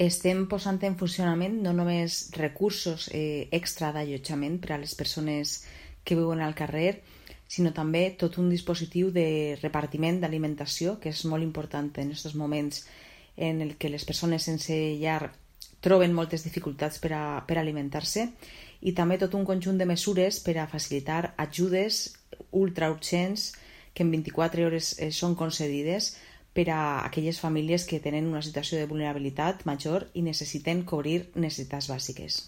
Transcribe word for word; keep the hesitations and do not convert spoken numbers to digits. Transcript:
Estem posant en funcionament no només recursos eh, extra d'allotjament per a les persones que viuen al carrer, sinó també tot un dispositiu de repartiment d'alimentació, que és molt important en aquests moments en el que les persones sense llar troben moltes dificultats per a, per a alimentar-se, i també tot un conjunt de mesures per a facilitar ajudes ultraurgents que en vint-i-quatre hores eh, són concedides per a aquelles famílies que tenen una situació de vulnerabilitat major i necessiten cobrir necessitats bàsiques.